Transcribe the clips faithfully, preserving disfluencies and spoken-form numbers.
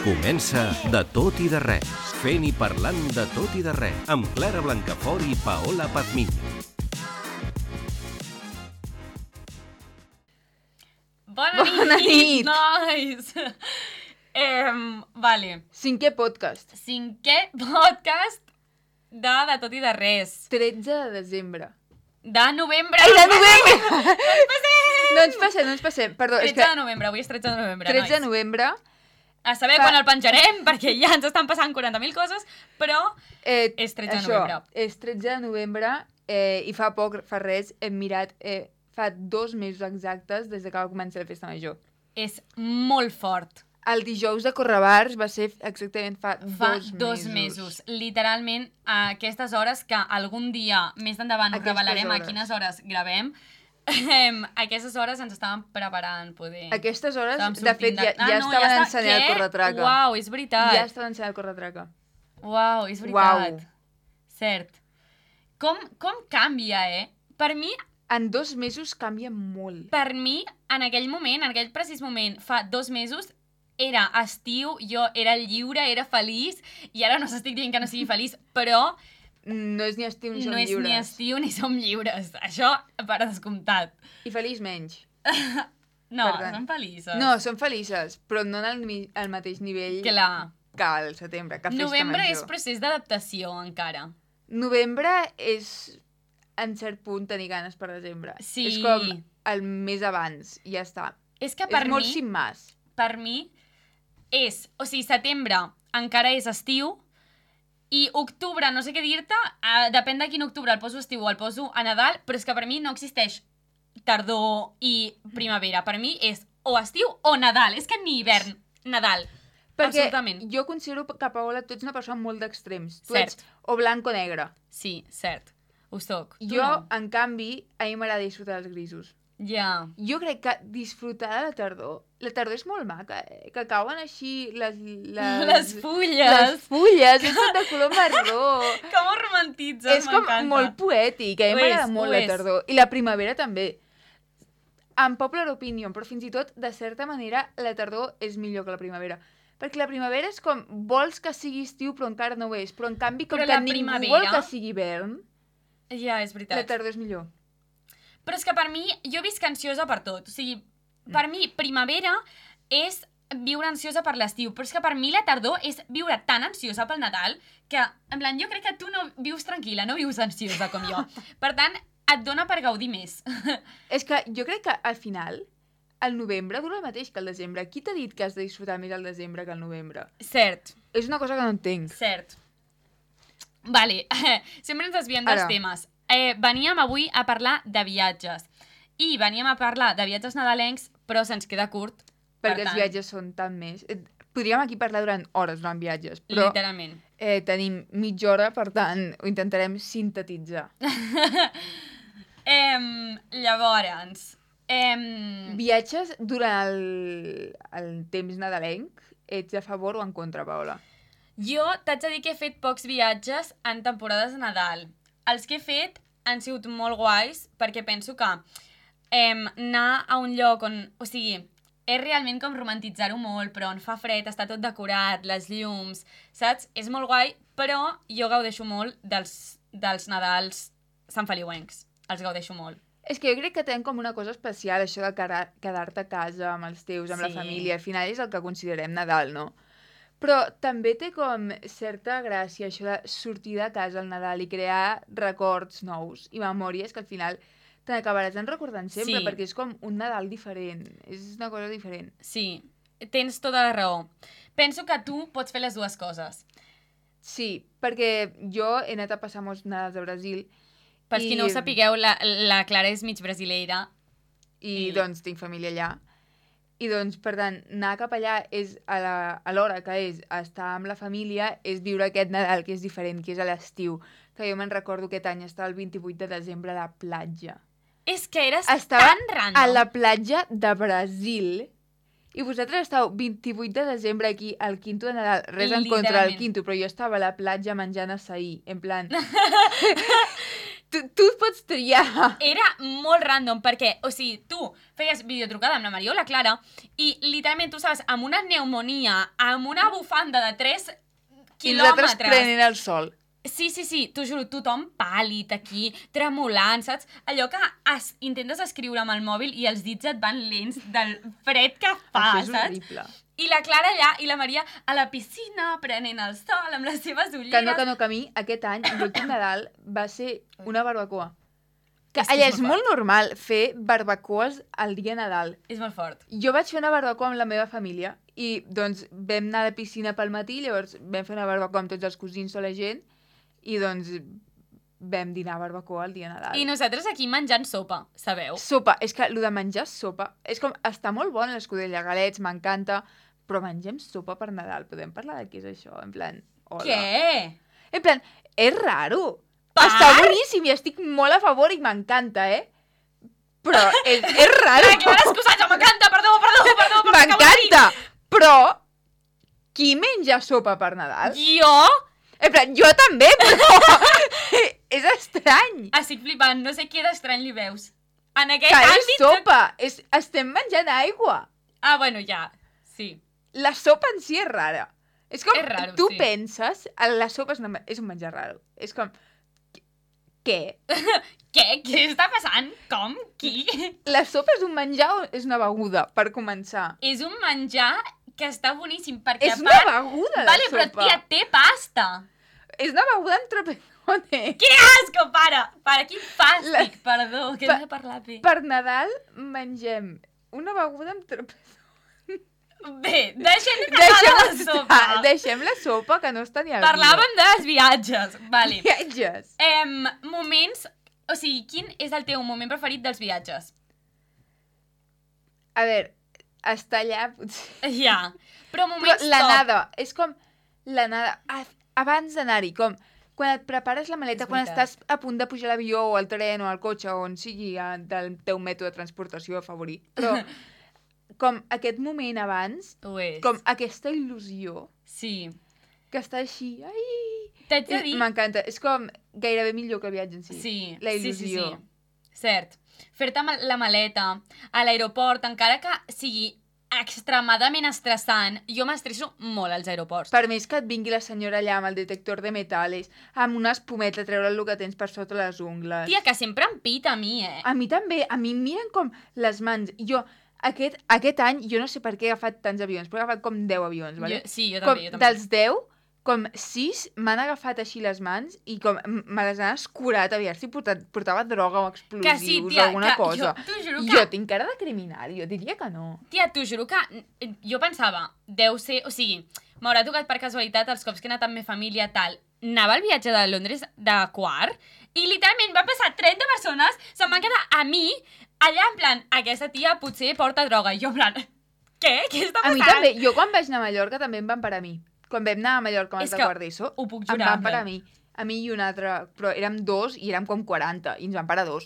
Comença De tot i de res, fent i parlant de tot i de res, amb Clara Blancafort i Paola Pazmiño. Bona, Bona nit, nit. nois! eh, vale, Cinquè podcast. cinquè podcast de De tot i de res. tretze de desembre. De novembre! Ai, de novembre! No ens passem! No ens passem, no ens passem. Perdó, és tretze que de novembre, avui és tretze de novembre, tretze de nois. novembre... A saber Fa- quan el penjarem, perquè ja ens estan passant quaranta mil coses, però Eh, és tretze de això, novembre. és tretze de novembre eh, i fa poc, fa res, hem mirat... Eh, fa dos mesos exactes des de que va començar la festa major. És molt fort. El dijous de Correbars va ser exactament fa, Fa dos, dos mesos. Literalment, a aquestes hores que algun dia més endavant us Aquestes revelarem a hores. quines hores gravem, em, a aquestes hores ens estàvem preparant, poder. A aquestes hores, Estàvem de fet, sortint ja, Ah, ja no, estaven està- ensenyant el Què? corretraca. Uau, és veritat. Ja estaven ensenyant el corretraca. Uau, és veritat. Uau. Cert. Com, com canvia, eh? Per mi, En dos mesos canvia molt. per mi, en aquell moment, en aquell precís moment, fa dos mesos, era estiu, jo era lliure, era feliç, i ara no s'estic dient que no sigui feliç, però No és ni estiu ni som no és lliures. ni estiu ni som lliures. Això per descomptat. I feliç menys. No, Per tant. som feliços. No, són felices, però no en el, mi- al mateix nivell Clar. que al setembre, que festa Novembre major. és procés d'adaptació, encara. Novembre és, en cert punt, tenir ganes per desembre. Sí. És com el mes abans, i ja està. És que per és molt mi, sin mas. per mi, és... O sigui, setembre encara és estiu, i octubre, no sé què dir-te, eh, depèn de quin octubre, el poso estiu o el poso a Nadal, però és que per mi no existeix tardor i primavera. Per mi és o estiu o Nadal. És que ni hivern, Nadal. Perquè Absolutament. jo considero que, Paola, tu ets una persona molt d'extrems. Tu Cert. ets o blanc o negre. Sí, cert. Ho soc. Tu Jo, no. en canvi, a mi m'agrada disfrutar dels grisos. Ja. Jo crec que disfrutar de la tardor... La tardor és molt maca, eh? Que cauen així les... Les, Les fulles. Les fulles, és tot de color marró. Com ho romantitzes, És com m'encanta. molt poètic, a mi Ho m'agrada és, molt ho la és. tardor. I la primavera també. En popular opinion, però fins i tot, de certa manera, la tardor és millor que la primavera. Perquè la primavera és com, vols que sigui estiu però encara no ho és. Però en canvi, com Però que la ningú primavera- vol que sigui hivern, Ja, és veritat. la tardor és millor. Però és que per mi, jo visc ansiosa per tot. O sigui, per mi, primavera és viure ansiosa per l'estiu, però és que per mi la tardor és viure tan ansiosa pel Nadal que, en plan, jo crec que tu no vius tranquil·la, no vius ansiosa com jo. Per tant, et dona per gaudir més. És que jo crec que al final, el novembre dura el mateix que el desembre. Qui t'ha dit que has de disfrutar més el desembre que el novembre? Cert, És una cosa que no entenc. cert. Vale, sempre ens desviem dels Ara. temes. Eh, veníem avui a parlar de viatges. I veníem a parlar de viatges nadalencs, però se'ns queda curt. Per Perquè els tant, viatges són tan més... Eh, Podríem aquí parlar durant hores durant viatges, però literalment. eh, tenim mitja hora, per tant, ho intentarem sintetitzar. Em, llavors, em, Viatges durant el, el temps nadalenc, ets a favor o en contra, Paola? jo t'haig de dir que he fet pocs viatges en temporades de Nadal. Els que he fet han sigut molt guais perquè penso que em, anar a un lloc on... O sigui, és realment com romantitzar-ho molt, però on fa fred, està tot decorat, les llums, saps? És molt guai, però jo gaudeixo molt dels, dels Nadals santfeliuencs. Els gaudeixo molt. És que jo crec que tenen com una cosa especial, això de quedar- quedar-te a casa amb els teus, amb la Sí. família. Al final és el que considerem Nadal, no? Però també té com certa gràcia això de sortir de casa al Nadal i crear records nous i memòries que al final te n'acabaràs en recordant sempre, Sí. perquè és com un Nadal diferent. És una cosa diferent. Sí, tens tota la raó. Penso que tu pots fer les dues coses. Sí, perquè jo he anat a passar molts Nadals a Brasil Per qui no ho sapigueu, la, la Clara és mig brasileira. i, I- doncs tinc família allà. I doncs, per tant, anar cap allà és a la- a l'hora que és estar amb la família, és viure aquest Nadal que és diferent, que és a l'estiu. Que jo me'n recordo aquest any estava el vint-i-vuit de desembre a la platja. És que eres Estava tan random. a la platja de Brasil i vosaltres estàu vint-i-vuit de desembre aquí al quinto de Nadal. Res en contra del Literalment. quinto, però jo estava a la platja menjant açaí, en plan... tu, tu pots triar. Era molt random, perquè, o sigui, tu feies videotrucada amb la Maria o la Clara i literalment tu saps, amb una pneumonia, amb una bufanda de tres I nosaltres quilòmetres... prenent el sol. Sí, sí, sí, t'ho juro, tothom pàl·lid aquí, tremolant, saps? Allò que es, intentes escriure amb el mòbil i els dits et van lents del fred que fa, Això és saps? horrible. I la Clara allà i la Maria a la piscina prenent el sol amb les seves ulleres. Que no, que no, que a mi aquest any, l'últim Nadal, va ser una barbacoa. Que És que allà és és molt molt normal fer barbacoes el dia Nadal. És molt fort. Jo vaig fer una barbacoa amb la meva família i doncs vam anar a la piscina pel matí, llavors vam fer una barbacoa amb tots els cosins o la gent i doncs vam dinar barbacoa el dia Nadal. I nosaltres aquí menjant sopa, sabeu? Sopa, és que el de menjar sopa, és com, està molt bona l'escudella, galets, m'encanta, però mengem sopa per Nadal, podem parlar de què és això? En plan, hola. Què? En plan, és raro. Per? Està boníssim i estic molt a favor i m'encanta, eh? Però és, és raro. La Clara excusatge, m'encanta, perdó, perdó, perdó. perdó M'encanta, però qui menja sopa per Nadal? Jo? En plan, jo també, però és estrany. Estic flipant, no sé què d'estrany li veus. En aquest Que és àmbit... sopa, és, estem menjant aigua. Ah, bueno, ja, sí. La sopa en si és rara. És com, És raro, tu sí. penses, la sopa és, una, és un menjar raro. És com, què? Què? Què està passant? Com? Qui? La sopa és un menjar o és una beguda, per començar? És un menjar que està boníssim, perquè És a una part... beguda, la Vale, sopa. però tia, té pasta. És una beguda amb trapezone. Que asco, para! Para, quin fàstic, La- perdó, que Pa- hem de parlar bé. Per Nadal mengem una beguda amb trapezone. Bé, deixem de parlar Deixem, de la sopa. estar, deixem la sopa, que no està ni al Parlàvem dels viatges, vale. Viatges. Em, moments... O sigui, quin és el teu moment preferit dels viatges? A veure, estar allà, potser... Ja, però Però moments la top. nada, és com la nada, a- abans d'anar-hi, com quan et prepares la maleta, És quan veritat. estàs a punt de pujar a l'avió o al tren o al cotxe o on sigui eh, del teu mètode de transportació favorit, però com aquest moment abans, Ho és. com aquesta il·lusió Sí. que està així, ai... T'haig de dir... M'encanta, és com gairebé millor que el viatge en si. Sí, La sí, sí, il·lusió. sí. Cert. Fer-te ma- la maleta a l'aeroport, encara que sigui extremadament estressant, jo m'estresso molt als aeroports. Per més que et vingui la senyora allà amb el detector de metales, amb una espumeta, treure el que tens per sota les ungles. Tia, que sempre em pita a mi, eh? A mi també, a mi em miren com les mans. Jo, aquest, aquest any, jo no sé per què he agafat tants avions, però he agafat com deu avions, vale? Jo, sí, jo com, també, jo també. Dels deu, com sis m'han agafat així les mans i com m- me les han escurat a veure si portat, portava droga o explosius Que sí, tia, o alguna que cosa. jo t'ho juro que... Jo tinc cara de criminal, jo diria que no. Tia, t'ho juro que mm, jo pensava, deu ser... O sigui, m'haurà tocat per casualitat els cops que he anat amb la família, tal. Anava al viatge de Londres de quart i literalment van passar trenta persones, se'n van quedar a mi, allà en plan, aquesta tia potser porta droga. I jo en plan, què? Què està A passant? mi també, jo quan vaig anar a Mallorca també em van parar a mi. Quan vam anar a Mallorca amb És els de que quart d'ESO, ho puc em jurar, van parar a Bel. mi. A mi i un altre, però érem dos i érem com quaranta, i ens van parar dos.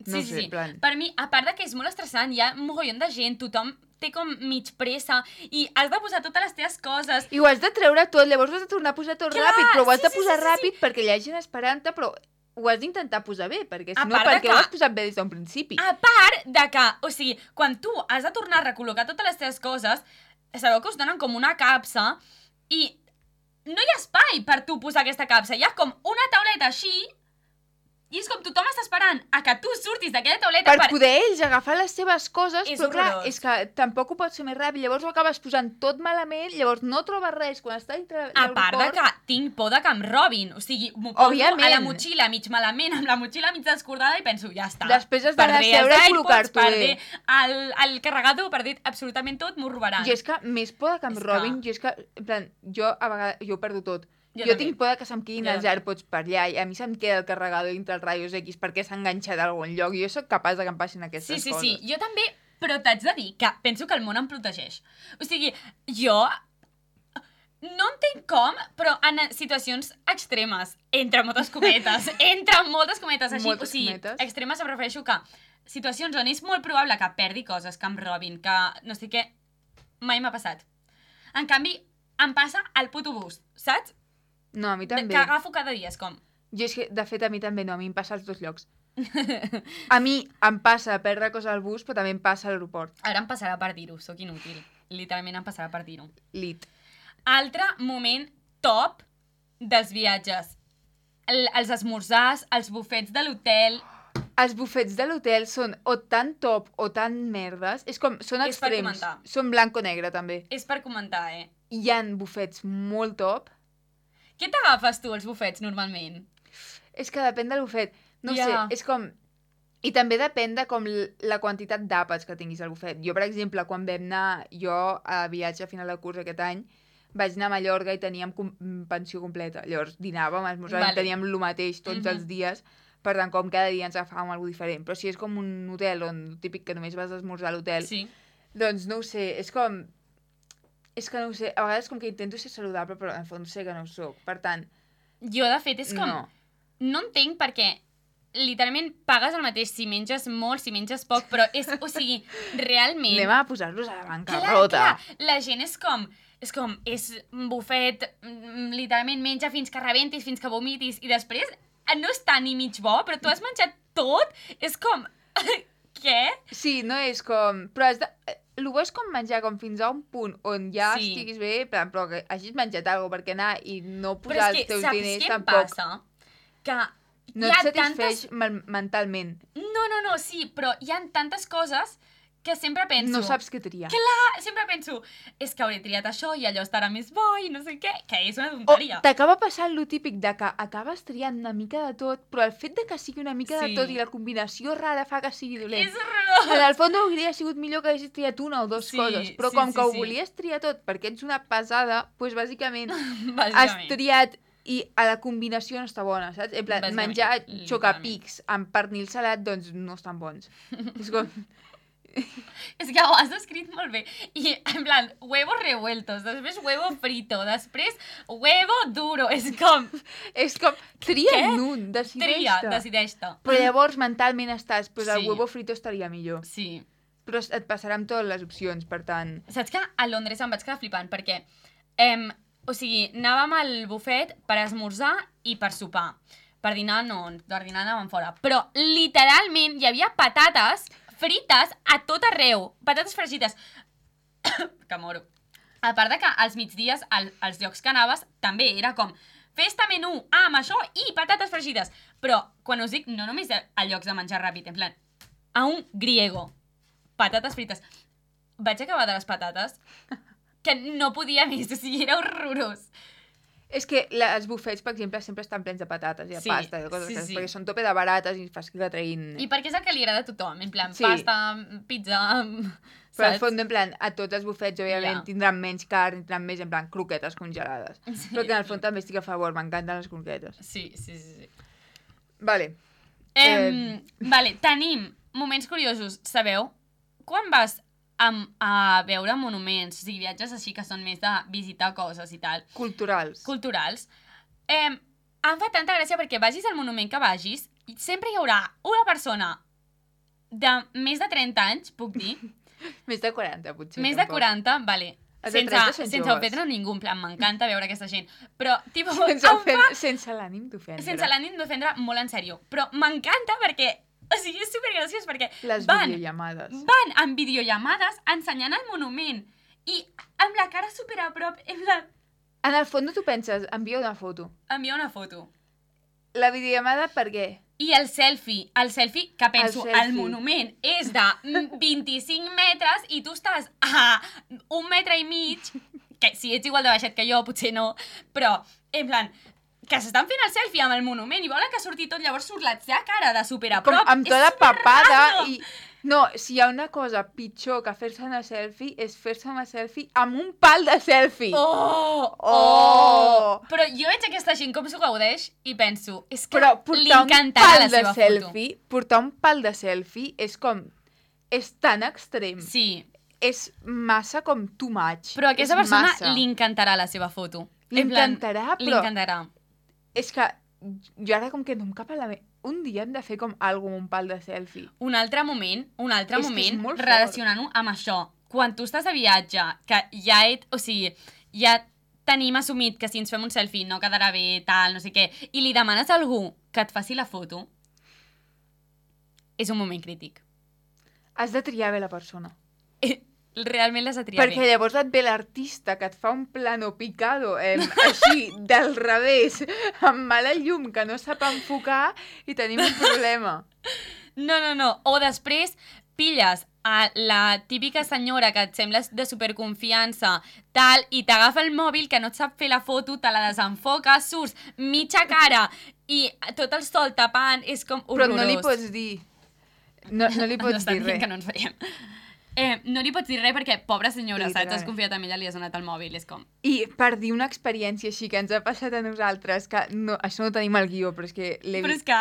No sí, sé, sí, en plan... Per mi, a part de que és molt estressant, hi ha un mogollon de gent, tothom té com mig pressa i has de posar totes les teves coses. I ho has de treure tot, llavors ho has de tornar a posar tot Clar, ràpid, però ho has sí, de sí, posar sí, sí, ràpid perquè hi ha gent esperant-te, però ho has d'intentar posar bé, perquè si A no, part de perquè que- ho has posat bé des d'un principi. A part de que, o sigui, quan tu has de tornar a recol·locar totes les teves coses, sabeu que us donen com una capsa i no hi ha espai per tu posar aquesta capsa. Hi ha com una tauleta així i és com tothom està esperant a que tu surtis d'aquella tauleta Per per... poder ells agafar les seves coses, És però clar, horrorós. és que tampoc ho pots fer més ràpid, llavors ho acabes posant tot malament, llavors no trobes res quan estàs dintre A part de l'aeroport. que tinc por de que em robin. O sigui, m'ho poso Òbviament. a la motxilla mig malament, amb la motxilla mig descordada i penso, ja està. Després has d'anar a Perdré els seure i AirPods, col·locar-t'ho perdré bé. el, el carregador, perdré absolutament tot, m'ho robaran. Jo és que més por de que em És que- robin, jo és que, en plan, jo a vegades, jo ho perdo tot. Jo Jo, també. tinc por de que se'm quedin Jo els també. AirPods per allà i a mi se'm queda el carregador dintre els raios X perquè s'ha enganxat a algun lloc i jo sóc capaç de que em passin aquestes Sí, sí, coses. sí, jo també, però t'haig de dir que penso que el món em protegeix. O sigui, jo no entenc com, però en situacions extremes, entre moltes cometes, entre moltes cometes, així, Moltes o sigui, cometes. extremes em refereixo que situacions on és molt probable que perdi coses, que em robin, que no sé què, mai m'ha passat. En canvi, em passa al puto bus, saps? No, a mi De- també. Que agafo cada dia, és com... Jo és que, de fet, a mi també no, a mi em passa als dos llocs. A mi em passa a perdre coses al bus, però també em passa a l'aeroport. Ara em passarà per dir-ho, sóc inútil. Literalment em passarà per dir-ho. Lit. Altre moment top dels viatges. El, els esmorzars, els bufets de l'hotel... Els bufets de l'hotel són o tan top o tan merdes. És com, són És per extrems. comentar. Són blanc o negre, també. És per comentar, eh? Hi ha bufets molt top. Què t'agafes tu, els bufets, normalment? És que depèn del bufet. No Ja. sé, és com... I també depèn de com l- la quantitat d'àpats que tinguis al bufet. Jo, per exemple, quan vam anar jo a viatge a final de curs aquest any, vaig anar a Mallorca i teníem com- pensió completa. Llavors dinàvem, esmorzàvem, Vale. teníem el mateix tots Mhm. els dies, per tant, com cada dia ens agafàvem alguna diferent. Però si és com un hotel on típic que només vas a esmorzar a l'hotel, Sí. doncs no ho sé, és com... És que no ho sé, a vegades com que intento ser saludable, però en el fons sé que no ho soc. Per tant, Jo, de fet, és com... no. No entenc perquè literalment pagues el mateix si menges molt, si menges poc, però és, o sigui, realment... Anem a posar-los a la Clar, bancarrota. clar, la gent és com... És com, és un bufet, mm, literalment menja fins que rebentis, fins que vomitis, i després no està ni mig bo, però tu has menjat tot, és com... Què? Sí, no és com... Però has de... El bo és com menjar com fins a un punt on ja Sí. estiguis bé, però, però que hagis menjat alguna cosa, perquè anar i no Però posar és els que, teus saps diners què em tampoc passa? Que no hi et ha satisfeix tantes... men- mentalment. No, no, no, sí, però hi ha tantes coses que sempre penso... No saps què triar. Clar, sempre penso, és que hauré triat això i allò estarà més bo i no sé què, que és una O tonteria. t'acaba passant lo típic de que acabes triant una mica de tot, però el fet de que sigui una mica Sí. de tot i la combinació rara fa que sigui dolent. És horrorós. En el fons hauria sigut millor que haguessis triat una o dues Sí, coses, però sí, com sí, que ho sí. volies triar tot perquè ets una pesada, doncs bàsicament has Bàsicament. triat i a la combinació no està bona, saps? En plan, Bàsicament, menjar literalment. xocapics amb pernil salat, doncs no estan bons. És com... És que ho has descrit molt bé. I, en plan, huevos revueltos, després huevo frito, després huevo duro. És com, És com, tria Què? un, tria, decideix-te. decideix-te. Però llavors mentalment estàs, doncs el Sí. huevo frito estaria millor. Sí. Però et passarà amb totes les opcions, per tant... Saps que a Londres em vaig quedar flipant perquè, em, o sigui, anàvem al bufet per esmorzar i per sopar. Per dinar no, per dinar anàvem fora. Però literalment hi havia patates frites a tot arreu. Patates fregides. Que moro. A part de que als migdies, al, als llocs que anaves, també era com festa menú, ah, amb això i patates fregides. Però, quan us dic, no només a, a llocs de menjar ràpid, en plan, a un griego, patates frites. Vaig acabar de les patates que no podia més, o sigui, era horrorós. És que la- els bufets, per exemple, sempre estan plens de patates i de Sí, pasta i de coses sí, sí, sí. perquè són tope de barates i fas que la treguin... I perquè és el que li agrada a tothom, en plan, Sí. pasta, pizza, Però al saps? fons, en plan, a tots els bufets, òbviament, Ja. tindran menys carn, tindran més, en plan, croquetes congelades. Sí. Però que en el fons també estic a favor, m'encanten les croquetes. Sí, sí, sí. sí. Vale. Em, Vale, tenim moments curiosos. Sabeu? Quan vas a, a veure monuments, o sigui, viatges així que són més de visitar coses i tal, Culturals. culturals, em, em fa tanta gràcia perquè vagis al monument que vagis i sempre hi haurà una persona de més de trenta anys, puc dir, Més de quaranta, potser. més de tampoc. quaranta, vale, Els de sense, trenta són sense joves. ofendre ningú, en plan, m'encanta veure aquesta gent, però, tipo, Sense, em ofen... fa sense l'ànim d'ofendre. sense l'ànim d'ofendre molt en sèrio, però m'encanta perquè, o sigui, és supergraciós perquè Les van, videollamades. van amb videollamades ensenyant el monument i amb la cara super a prop, en plan, En el fons tu penses, envia una foto. envia una foto. La videollamada per què? I el selfie, el selfie, que penso, el, selfie. monument és de mm, vint-i-cinc metres i tu estàs a un metre i mig, que si ets igual de baixet que jo, potser no, però, en plan, que s'estan fent el selfie amb el monument i volen que surti tot, llavors surt la seva cara de super a Com prop. amb tota papada i... No, si hi ha una cosa pitjor que fer-se una selfie és fer-se una selfie amb un pal de selfie. Oh, oh, Oh! Però jo veig aquesta gent com s'ho gaudeix i penso, és que Però li portar un encantarà pal la de seva foto. selfie, portar un pal de selfie és com... És tan extrem. Sí, És massa com too much. però a aquesta és persona massa. li encantarà la seva foto. Li En plan, encantarà, Li però encantarà. és que jo ara com que no em cap a la ment... Un dia hem de fer com algo amb un pal de selfie. Un altre moment, un altre És que és moment, molt fort. relacionant-ho amb això. Quan tu estàs de viatge, que ja et... O sigui, ja tenim assumit que si ens fem un selfie no quedarà bé, tal, no sé què, i li demanes a algú que et faci la foto, és un moment crític. Has de triar bé la persona. Realment l'has de triar Perquè bé. llavors et ve l'artista que et fa un plano picado, eh, així, del revés, amb mala llum, que no sap enfocar, i tenim un problema. No, no, no. O després pilles a la típica senyora que et sembla de superconfiança, tal, i t'agafa el mòbil que no et sap fer la foto, te la desenfoca, surts mitja cara i tot el sol tapant, és com horrorós. Però no li pots dir... No, no li pots no dir res. que no ens veiem. Eh, no li pots dir res perquè, pobra senyora, Literal. saps? Has confiat en ella, li has donat el mòbil, és com... I per dir una experiència així que ens ha passat a nosaltres, que no, això no ho tenim al guió, però és que l'he Però vist... és que...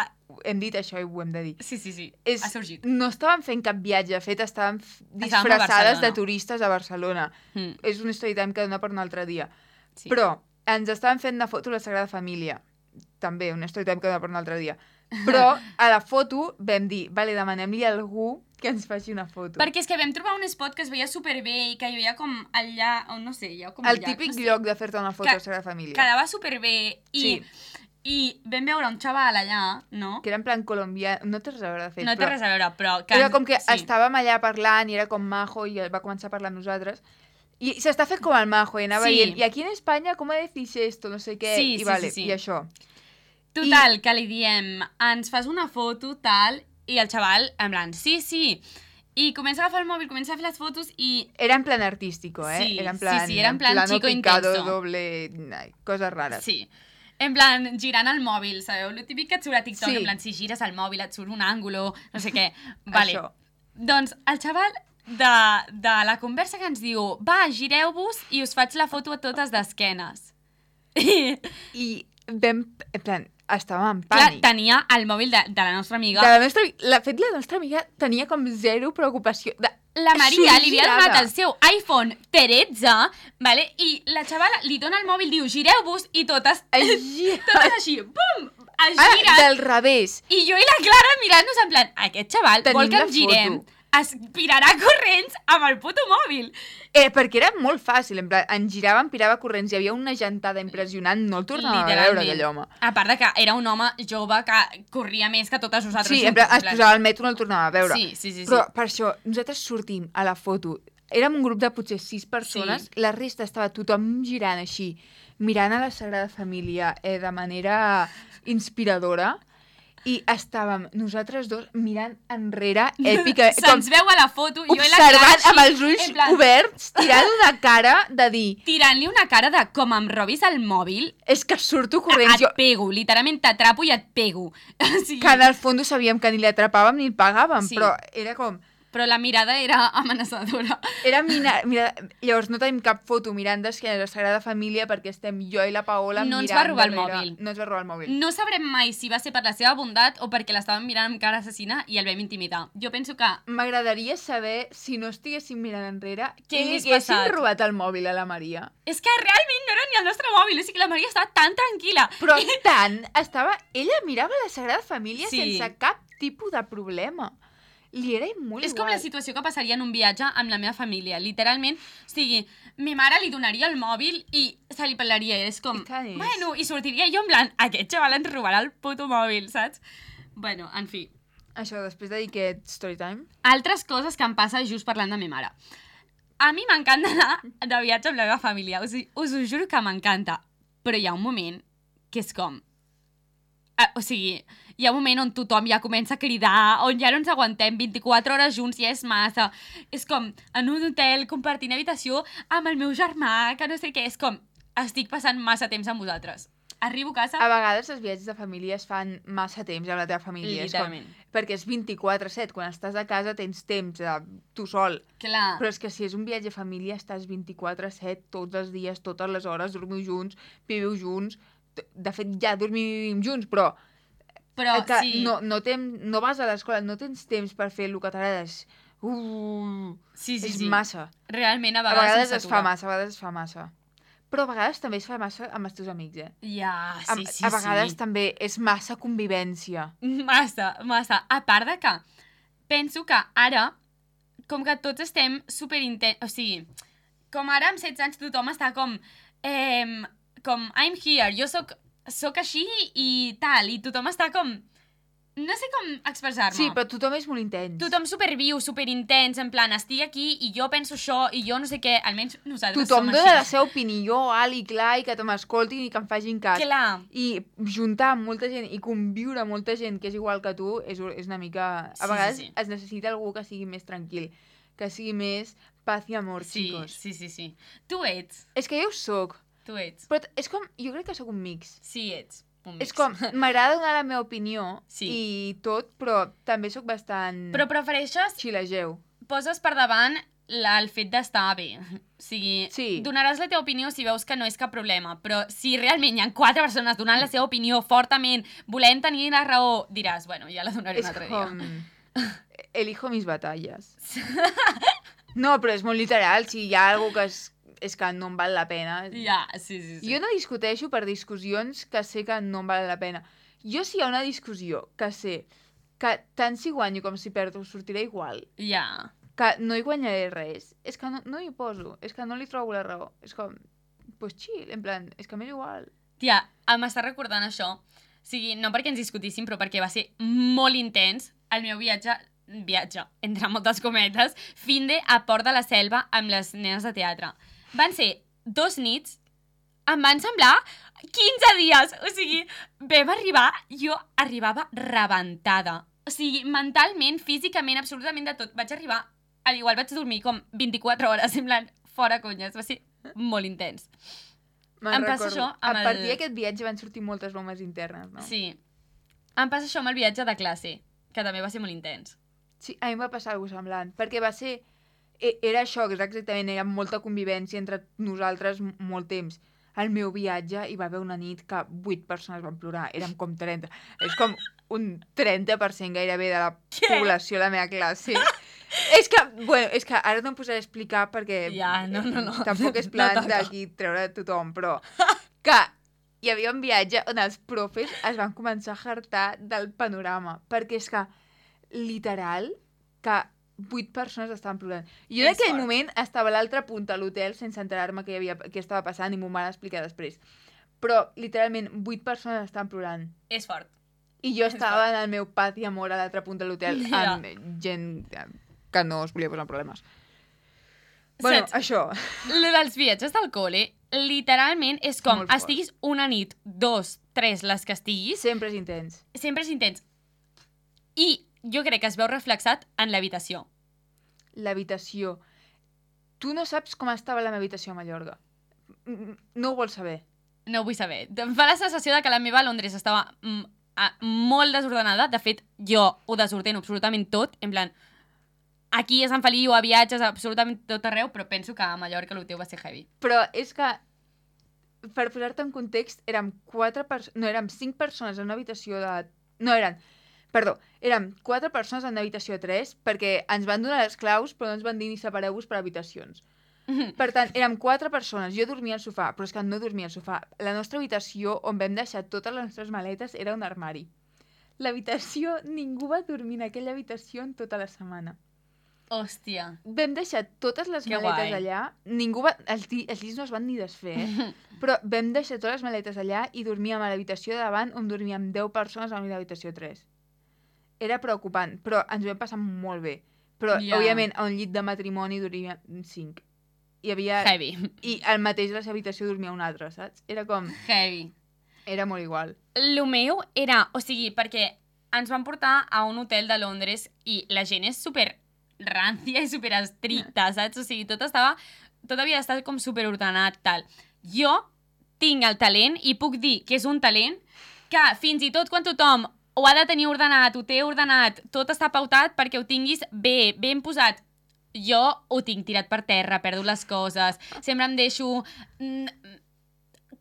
Hem dit això i ho hem de dir. Sí, sí, sí, És, ha sorgit. no estàvem fent cap viatge, de fet, estàvem f- Estàvem a disfressades Barcelona. de turistes a Barcelona. Mm. És un story time que dona per un altre dia. Sí. Però ens estàvem fent una foto a la Sagrada Família. També, un story time que dona per un altre dia. Però a la foto vam dir, vale, demanem-li a algú que ens faci una foto. Perquè és que vam trobar un spot que es veia superbé i que hi havia com allà, o no sé, hi ha com El un llac, típic no sé. lloc de fer-te una foto Que- a la Sagrada Família. Quedava superbé i, Sí. i vam veure un xaval allà, no? Que era en plan colombià, no té res a veure, de fet. No té però res a veure, però... Que, Era com que sí. estàvem allà parlant i era com majo i va començar a parlar amb nosaltres. I s'està fent com el majo i anava Sí. dient, i aquí en Espanya, com decís esto? No sé què. Sí, I sí, vale, sí, sí. i això. Total, I... que li diem, ens fas una foto, tal, i el xaval, en plan, sí, sí. I comença a agafar el mòbil, comença a fer les fotos i... Era en plan artístico, eh? Sí, era en sí, plan, sí, era en plan plano chico picado, intenso. doble, ai, coses rares. Sí. En plan, girant el mòbil, sabeu? Lo típic que et surt a TikTok, Sí. en plan, si gires el mòbil et surt un àngulo, no sé què. Vale. Això. Doncs el xaval de, de la conversa que ens diu, va, gireu-vos i us faig la foto a totes d'esquenes. I, I vam, en plan, estàvem en clar, pànic. tenia el mòbil de, de la nostra amiga. De la nostra, la fet, la nostra amiga tenia com zero preocupació. De, La Maria li havia Girada. donat el seu iPhone tretze, vale? I la xavala li dona el mòbil, diu, gireu-vos, i totes, Ai, gira. totes així, bum, es Ara, giren. del revés. I jo i la Clara mirant-nos en plan, aquest xaval Tenim vol que la ens girem, foto. es pirarà corrents amb el puto mòbil. Eh, perquè era molt fàcil, en plan, en girava, em pirava corrents, hi havia una gentada impressionant, no el tornava a veure Literalment. aquell home. A part de que era un home jove que corria més que totes nosaltres Sí, en juntes. plan, es posava al metro, no el tornava a veure. Sí, sí, sí. sí. Però per això, nosaltres sortim a la foto, érem un grup de potser sis persones, Sí. la resta estava tothom girant així, mirant a la Sagrada Família eh, de manera inspiradora, i estàvem nosaltres dos mirant enrere, èpica, Se'ns veu a la foto, jo i la Clara observant així, amb els ulls en plan, oberts, tirant una cara de dir, tirant-li una cara de com em robis el mòbil, és que surto corrents. et Jo, pego, literalment t'atrapo i et pego. O sigui, que en el fons sabíem que ni l'atrapàvem ni el pagàvem, Sí. però era com... Però la mirada era amenaçadora. Era mina, mira, llavors no tenim cap foto mirant d'esquena a la Sagrada Família perquè estem jo i la Paola No ens mirant va robar el darrere. mòbil. No ens va robar el mòbil. No sabrem mai si va ser per la seva bondat o perquè l'estàvem mirant amb cara assassina i el vam intimidar. Jo penso que... M'agradaria saber, si no estiguéssim mirant enrere, Què què li hagués haguessin passat? robat el mòbil a la Maria. És que realment no era ni el nostre mòbil, o sigui, la Maria estava tan tranquil·la. Però tant, estava... Ella mirava la Sagrada Família Sí. sense cap tipus de problema. Li era molt És com igual. la situació que passaria en un viatge amb la meva família. Literalment, o sigui, mi mare li donaria el mòbil i se li pelaria. És com, I tant és. bueno, i sortiria jo en plan, aquest xaval ens robarà el puto mòbil, saps? Bueno, en fi. Això, després de dir aquest story time... Altres coses que em passa just parlant de mi mare. A mi m'encanta anar de viatge amb la meva família. O sigui, us ho juro que m'encanta. Però hi ha un moment que és com... Uh, o sigui, hi ha un moment on tothom ja comença a cridar, on ja no ens aguantem vint-i-quatre hores junts, ja és massa. És com en un hotel compartint habitació amb el meu germà, que no sé què. És com, estic passant massa temps amb vosaltres. Arribo a casa... A vegades els viatges de família es fan massa temps amb la teva família. És com, Literalment. perquè és vint-i-quatre set. Quan estàs a casa tens temps de tu sol. Clar. Però és que si és un viatge a família estàs vint-i-quatre set, tots els dies, totes les hores, dormiu junts, viviu junts. De fet, ja dormim junts, però, Però que sí. no, no, tem, no vas a l'escola, no tens temps per fer el que t'agrades. Uh, Sí, sí, és sí. massa. Realment, a A vegades, vegades se'ns es fa atura. massa, a vegades es fa massa. Però a vegades també es fa massa amb els teus amics, eh? Ja, sí, Am- sí, a vegades sí. també és massa convivència. Massa, massa. A part de que penso que ara, com que tots estem superinten... O sigui, com ara amb setze anys tothom està com eh, com, I'm here, jo soc, soc així i tal, i tothom està com... No sé com expressar-me. Sí, però tothom és molt intens. Tothom superviu, superintens, en plan, estic aquí i jo penso això i jo no sé què, almenys nosaltres tothom som dona la així. seva opinió alt i clar i que m'escoltin i que em facin cas. Clar. I juntar amb molta gent i conviure amb molta gent que és igual que tu és, és una mica... A Sí, vegades sí, sí. es necessita algú que sigui més tranquil, que sigui més paz i amor, Sí, xicos. sí, sí, sí. Tu ets, És que jo ho soc, tu ets. però és com... Jo crec que sóc un mix. Sí, ets un mix. És com, m'agrada donar la meva opinió Sí. i tot, però també sóc bastant... Però prefereixes, xilageu. poses per davant la, el fet d'estar bé. O sigui, Sí. donaràs la teva opinió si veus que no és cap problema, però si realment hi ha quatre persones donant la seva opinió fortament, volent tenir la raó, diràs, bueno, ja la donaré És un altre com... dia. Elijo mis batalles. No, però és molt literal. Si hi ha algú que és, és que no em val la pena... Ja, sí, sí, sí. Jo no discuteixo per discussions que sé que no em val la pena. Jo si hi ha una discussió que sé que tant si guanyo com si perdo sortiré igual, Ja. que no hi guanyaré res, és que no, no hi poso, és que no li trobo la raó. És com, pues chill, en plan, és que m'és igual. Tia, m'està recordant això. O sigui, no perquè ens discutíssim, però perquè va ser molt intens el meu viatge, viatge, entre moltes cometes, fin de a Port de la Selva amb les nenes de teatre. Van ser dos nits, em van semblar quinze dies. O sigui, vam arribar, jo arribava rebentada. O sigui, mentalment, físicament, absolutament de tot. Vaig arribar, al igual vaig dormir com vint-i-quatre hores, semblant fora conyes. Va ser molt intens. Me'n Em passa recordo. això amb A el- partir d'aquest viatge van sortir moltes bromes internes, no? Sí. Em passa això amb el viatge de classe, que també va ser molt intens. Sí, a mi em va passar alguna cosa semblant, perquè va ser... e- Era això, exactament, era molta convivència entre nosaltres m- molt temps. Al meu viatge hi va haver una nit que vuit persones van plorar, érem com trenta. És com un trenta per cent gairebé de la Què? població de la meva classe. És que, bueno, és que ara no em posaré a explicar perquè Ja, no, no, no. tampoc és No plan toca. d'aquí treure tothom, però que hi havia un viatge on els profes es van començar a hartar del panorama, perquè és que, literal, que vuit persones estaven plorant. Jo en És aquell fort. moment estava a l'altra punta a l'hotel sense enterar-me què, hi havia, què estava passant i m'ho van explicar després. Però, literalment, vuit persones estaven plorant. És fort. I jo estava en el meu paz i amor a l'altra punta de l'hotel Ja. amb gent que no es volia posar en problemes. Bueno, Saps? això. Lo dels viatges del col·le, literalment, és com, Molt fort. estiguis una nit, dos, tres, les que estiguis, Sempre és intens. sempre és intens. I jo crec que es veu reflexat en l'habitació. L'habitació. Tu no saps com estava la meva habitació a Mallorca. Mm, No ho vols saber. No ho vull saber. Em fa la sensació de que la meva a Londres estava mm, a, molt desordenada. De fet, jo ho desordeno absolutament tot. En plan, aquí a Sant Feliu, a viatges, absolutament tot arreu, però penso que a Mallorca el teu va ser heavy. Però és que, per posar-te en context, érem quatre persones... No, érem cinc persones en una habitació de... No, eren... Perdó, érem quatre persones en una habitació de tres perquè ens van donar les claus però no ens van dir ni separeu-vos per habitacions. Per tant, érem quatre persones. Jo dormia al sofà, però és que no dormia al sofà. La nostra habitació, on vam deixar totes les nostres maletes, era un armari. L'habitació, ningú va dormir en aquella habitació en tota la setmana. Hòstia. Vam deixar totes les Que maletes guai. allà, ningú va... Els, lli- els llits no es van ni desfer, eh? Però vam deixar totes les maletes allà i dormíem a l'habitació de davant on dormíem deu persones a l'habitació tres. Era preocupant, però ens ho vam passar molt bé. Però, Ja. òbviament, a un llit de matrimoni dormíem cinc. Hi havia... Heavy. I al mateix a la seva habitació dormia un altre, saps? Era com... Heavy. Era molt igual. Lo meu era, o sigui, perquè ens van portar a un hotel de Londres i la gent és super rància i super estricta, saps? O sigui, tot estava... Tot havia d'estar com super ordenat, tal. Jo tinc el talent i puc dir que és un talent que fins i tot quan tothom ho ha de tenir ordenat, ho té ordenat, tot està pautat perquè ho tinguis bé, ben posat. Jo ho tinc tirat per terra, perdo les coses, sempre em deixo mm,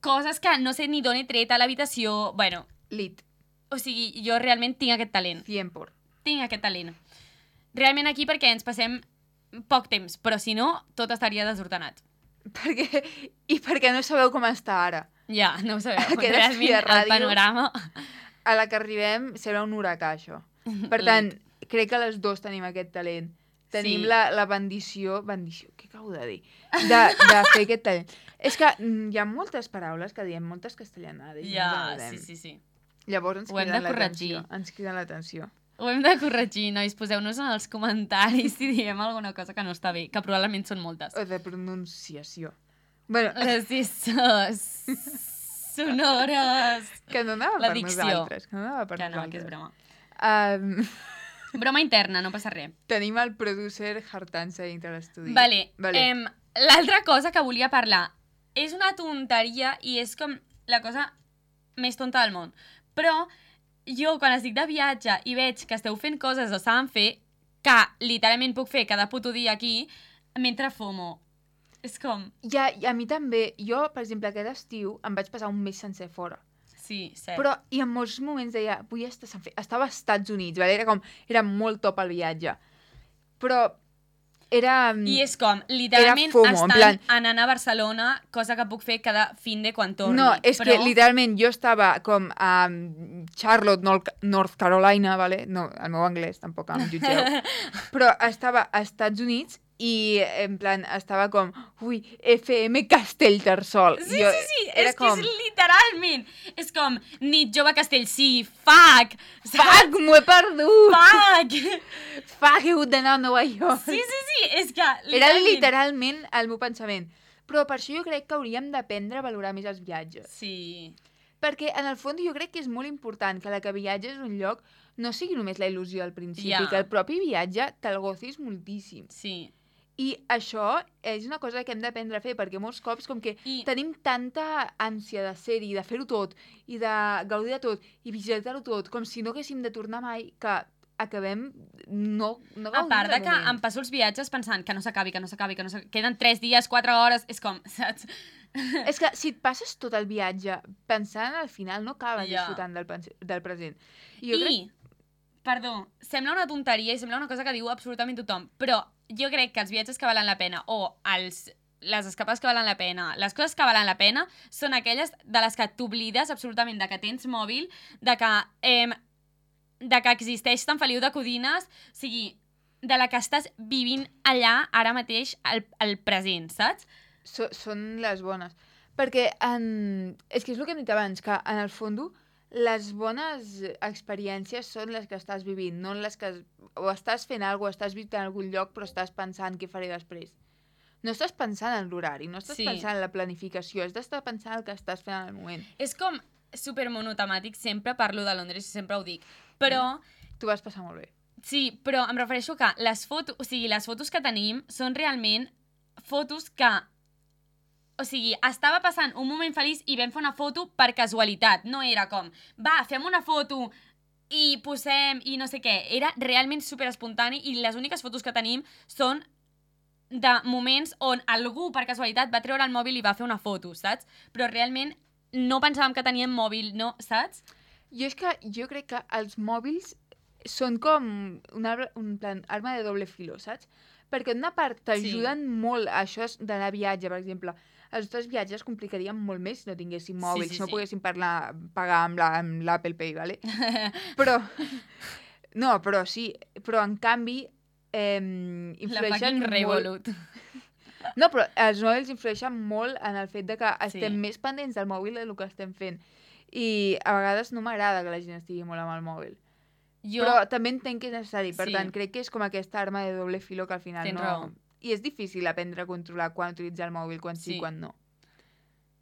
coses que no sé ni d'on he tret a l'habitació. Bueno, Lit. o sigui, jo realment tinc aquest talent. cent por. Tinc aquest talent. Realment aquí perquè ens passem poc temps, però si no, tot estaria desordenat. Perquè... I perquè no sabeu com està ara. Ja, no ho sabeu. Aquest Realment, estudi de el ràdio- panorama... A la que arribem serà un huracà, això. Per tant, crec que les dos tenim aquest talent. tenim Sí. la, la bendició... Bendició, què acabo de dir? De, de fer aquest talent. És que mm, hi ha moltes paraules que diem, moltes castellanades. i Ja, no ens sí, agradem. sí, sí. Llavors ens Ho hem criden de l'atenció. corregir. Ens criden l'atenció. Ho hem de corregir, nois. Poseu-nos en els comentaris si diem alguna cosa que no està bé, que probablement són moltes. O de pronunciació. Bueno, Les isses sonores. que no anava La per dicció. nosaltres. Que no anava per Que no, nosaltres. que és broma. Um, Broma interna, no passa res. tenim el producer hartant-se dintre l'estudi. Vale, vale. Em, l'altra cosa que volia parlar és una tonteria i és com la cosa més tonta del món. Però jo, quan estic de viatge i veig que esteu fent coses o saben fer, que literalment puc fer cada puto dia aquí, mentre fumo. És com... Ja, i a mi també. Jo, per exemple, aquest estiu em vaig passar un mes sencer fora. Sí, cert. Però, i en molts moments deia, vull estar sense fer... Estava als Estats Units, vale? Era com... Era molt top el viatge. Però era... I és com, literalment, FOMO, en estan plan- anant a Barcelona, cosa que puc fer cada fin de quan torni. No, és però... que literalment jo estava com a Charlotte, Nor- North Carolina, vale? No, el meu anglès tampoc em jutgeu. Però estava als Estats Units i en plan estava com, ui, F M Castellterçol. Sí, Jo, sí, sí, era és que és literalment. És com, nit jove Castellcí, fuck! Fuck, m'ho he perdut! Fuck! Fuck, he hagut d'anar a Nova York. Sí, sí, sí, és que... Era literalment el meu pensament. Però per això jo crec que hauríem d'aprendre a valorar més els viatges. Sí, Perquè, en el fons, jo crec que és molt important que la que viatges a un lloc no sigui només la il·lusió al principi, Ja. que el propi viatge te'l gozis moltíssim. sí. I això és una cosa que hem d'aprendre a fer, perquè molts cops com que I- tenim tanta ànsia de ser-hi, de fer-ho tot, i de gaudir de tot, i visitar-ho tot, com si no haguéssim de tornar mai, que acabem no, no A gaudint part de del que moment. em passo els viatges pensant que no s'acabi, que no s'acabi, que no s'acabi. Queden tres dies, quatre hores, és com, saps? És que si et passes tot el viatge pensant al final, no acabes Ja. disfrutant del, pense- del present. I jo I, crec... perdó, sembla una tonteria i sembla una cosa que diu absolutament tothom, però jo crec que els viatges que valen la pena o els, les escapades que valen la pena, les coses que valen la pena són aquelles de les que t'oblides absolutament de que tens mòbil, de que, eh, de que existeix Sant Feliu de Codines, o sigui, de la que estàs vivint allà ara mateix al, al present, saps? So, són les bones. Perquè en... és que és el que hem dit abans, que en el fons les bones experiències són les que estàs vivint, no les que... o estàs fent alguna cosa, estàs visitant algun lloc, però estàs pensant què faré després. No estàs pensant en l'horari, no estàs Sí. pensant en la planificació, has d'estar pensant el que estàs fent en el moment. És com super monotemàtic, sempre parlo de Londres i sempre ho dic, però... Tu vas passar molt bé. Sí, però em refereixo que les fotos, o sigui, les fotos que tenim són realment fotos que, o sigui, estava passant un moment feliç i vam fer una foto per casualitat. No era com, va, fem una foto i posem i no sé què. Era realment super espontani i les úniques fotos que tenim són de moments on algú per casualitat va treure el mòbil i va fer una foto, saps? Però realment no pensàvem que teníem mòbil, no, saps? Jo és que jo crec que els mòbils són com un, arbre, un plan, arma de doble filo, saps? Perquè d'una part t'ajuden sí. molt a això d'anar a viatge, per exemple. Els nostres viatges complicarien molt més si no tinguéssim mòbils, sí, si no sí. poguéssim parlar, pagar amb la- amb l'Apple Pay, ¿vale? Però, no, però sí, però en canvi eh, La influeixen fucking molt... Revolut. No, però els mòbils influeixen molt en el fet de que estem Sí. més pendents del mòbil del que estem fent. I a vegades no m'agrada que la gent estigui molt amb el mòbil. Jo... Però també entenc que és necessari, per Sí. tant, crec que és com aquesta arma de doble filo que al final Tens no... raó. I és difícil aprendre a controlar quan utilitzar el mòbil, quan sí, Sí. i quan no.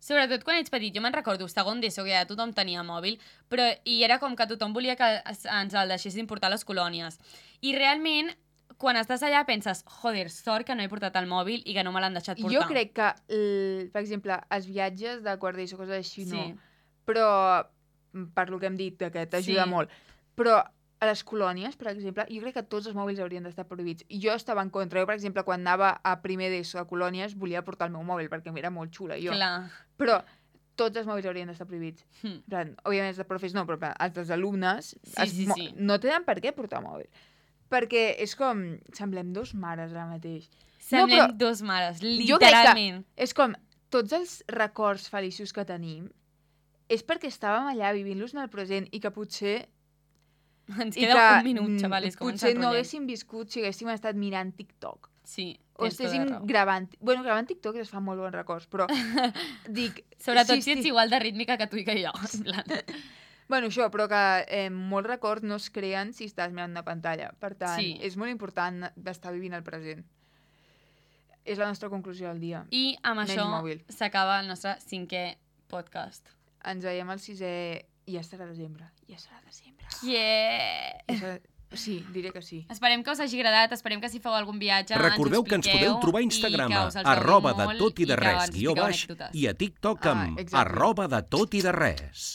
Sobretot quan ets petit, jo me'n recordo, segon d'ESO, que ja tothom tenia mòbil, però i era com que tothom volia que es- ens el deixessin portar a les colònies. I realment, quan estàs allà penses, joder, sort que no he portat el mòbil i que no me l'han deixat portar. Jo crec que, el, per exemple, els viatges de quart d'ESO, coses així, no. Sí. Però, per lo que hem dit, que t'ajuda Sí. molt. Però a les colònies, per exemple, jo crec que tots els mòbils haurien d'estar prohibits. I jo estava en contra. Jo, per exemple, quan anava a primer d'ESO a colònies, volia portar el meu mòbil, perquè era molt xula, jo. Clar. Però tots els mòbils haurien d'estar prohibits. Hm. En plan, òbviament els de profes no, però en plan, els dels alumnes Sí, es sí, mo- sí. no tenen per què portar mòbil. Perquè és com... Semblem dos mares ara mateix. Semblem però dos mares, jo crec que- literalment. És com, tots els records feliços que tenim és perquè estàvem allà vivint-los en el present i que potser Ens I queda que, un minut, mm, xavales, com ens potser no enrotllem. haguéssim viscut si haguéssim estat mirant TikTok. Sí, O tens tota estéssim la raó. gravant... Bueno, gravant TikTok es fa molt bons records, però dic... Sobretot si esti- ets igual de rítmica que tu i que jo. En plan. Bueno, això, però que eh, molts records no es creen si estàs mirant una pantalla. Per tant, Sí. és molt important d'estar vivint el present. És la nostra conclusió del dia. I amb Menys això mòbil. s'acaba el nostre cinquè podcast. Ens veiem al sisè... Ja serà desembre. Ja serà desembre. Yeah! Ja serà... Sí, diré que sí. Esperem que us hagi agradat, esperem que si feu algun viatge Recordeu ens ho que ens expliqueu podeu trobar a i Instagram que a us els gaudim arroba de molt tot i de que res ens guió expliqueu baix anècdotes. i a TikTok Ah, amb exacte. arroba de tot i de res.